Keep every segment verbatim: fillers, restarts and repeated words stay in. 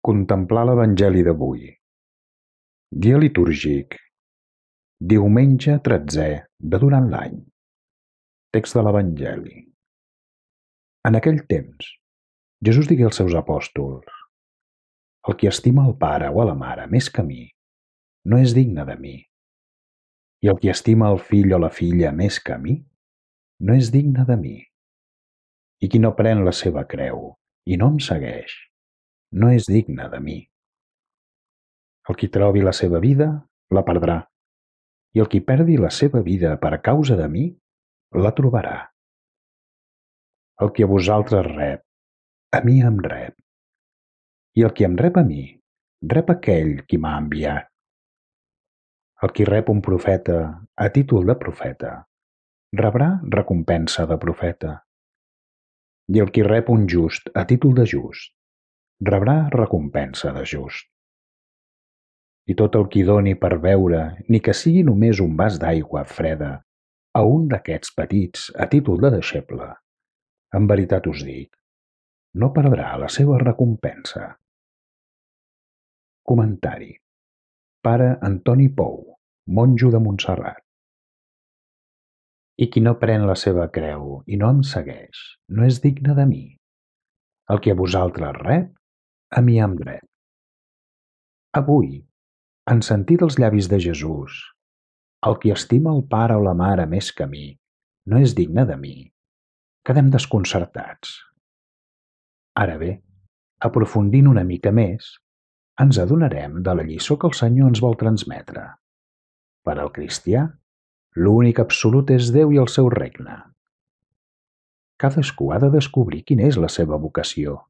Contemplar l'Evangeli d'avui. Dia litúrgic. Diumenge tretzè de durant l'any. Text de l'Evangeli. En aquell temps, Jesús digué als seus apòstols: el qui estima el pare o a la mare més que a mi, no és digne de mi. I el qui estima el fill o la filla més que a mi, no és digne de mi. I qui no pren la seva creu i no em segueix, no és digne de mi. El qui trobi la seva vida, la perdrà, i el qui perdi la seva vida per causa de mi, la trobarà. El qui a vosaltres rep, a mi em rep, i el qui em rep a mi, rep aquell qui m'ha enviat. El qui rep un profeta a títol de profeta, rebrà recompensa de profeta. I el qui rep un just a títol de just, rebrà recompensa de just. I tot el qui doni per beure, ni que sigui només un vas d'aigua freda, a un d'aquests petits a títol de deixeble, en veritat us dic, no perdrà la seva recompensa. Comentari. Pare Antoni Pou, monjo de Montserrat. I qui no pren la seva creu i no em segueix, no és digne de mi. El que a vosaltres rep, a mi em rep. Avui, en sentir dels llavis de Jesús, el qui estima el pare o la mare més que a mi, no és digne de mi, quedem desconcertats. Ara bé, aprofundint una mica més, ens adonarem de la lliçó que el Senyor ens vol transmetre. Per al cristià, l'únic absolut és Déu i el seu regne. Cadascú ha de descobrir quina és la seva vocació.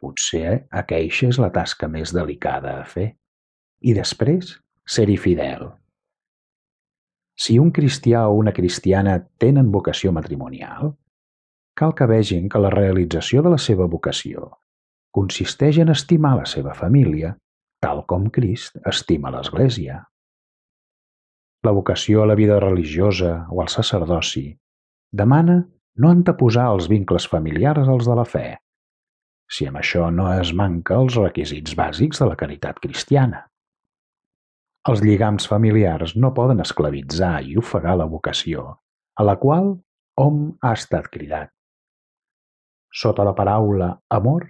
Potser aqueixa és la tasca més delicada a fer. I després, ser-hi fidel. Si un cristià o una cristiana tenen vocació matrimonial, cal que vegin que la realització de la seva vocació consisteix en estimar la seva família tal com Crist estima l'Església. La vocació a la vida religiosa o al sacerdoci demana no anteposar els vincles familiars als de la fe, si amb això no es manca els requisits bàsics de la caritat cristiana. Els lligams familiars no poden esclavitzar i ofegar la vocació, a la qual hom ha estat cridat. Sota la paraula amor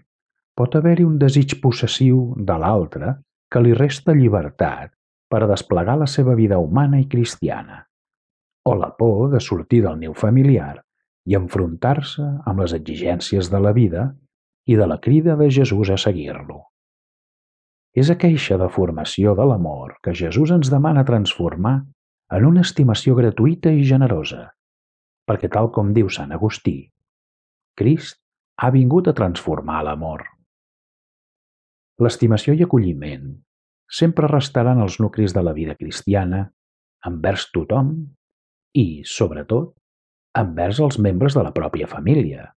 pot haver-hi un desig possessiu de l'altre que li resta llibertat per a desplegar la seva vida humana i cristiana, o la por de sortir del niu familiar i enfrontar-se amb les exigències de la vida i de la crida de Jesús a seguir-lo. És aqueixa deformació de l'amor que Jesús ens demana transformar en una estimació gratuïta i generosa, perquè tal com diu Sant Agustí, Crist ha vingut a transformar l'amor. L'estimació i acolliment sempre restaran els nuclis de la vida cristiana envers tothom i, sobretot, envers els membres de la pròpia família,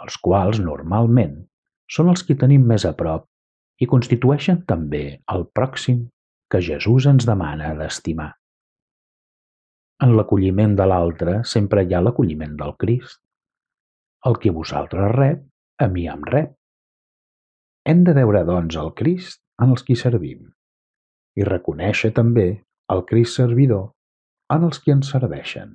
els quals normalment són els qui tenim més a prop i constitueixen també el pròxim que Jesús ens demana d'estimar. En l'acolliment de l'altre sempre hi ha l'acolliment del Crist. El qui a vosaltres rep, a mi em rep. Hem de veure, doncs, el Crist en els qui servim i reconèixer també el Crist servidor en els qui ens serveixen.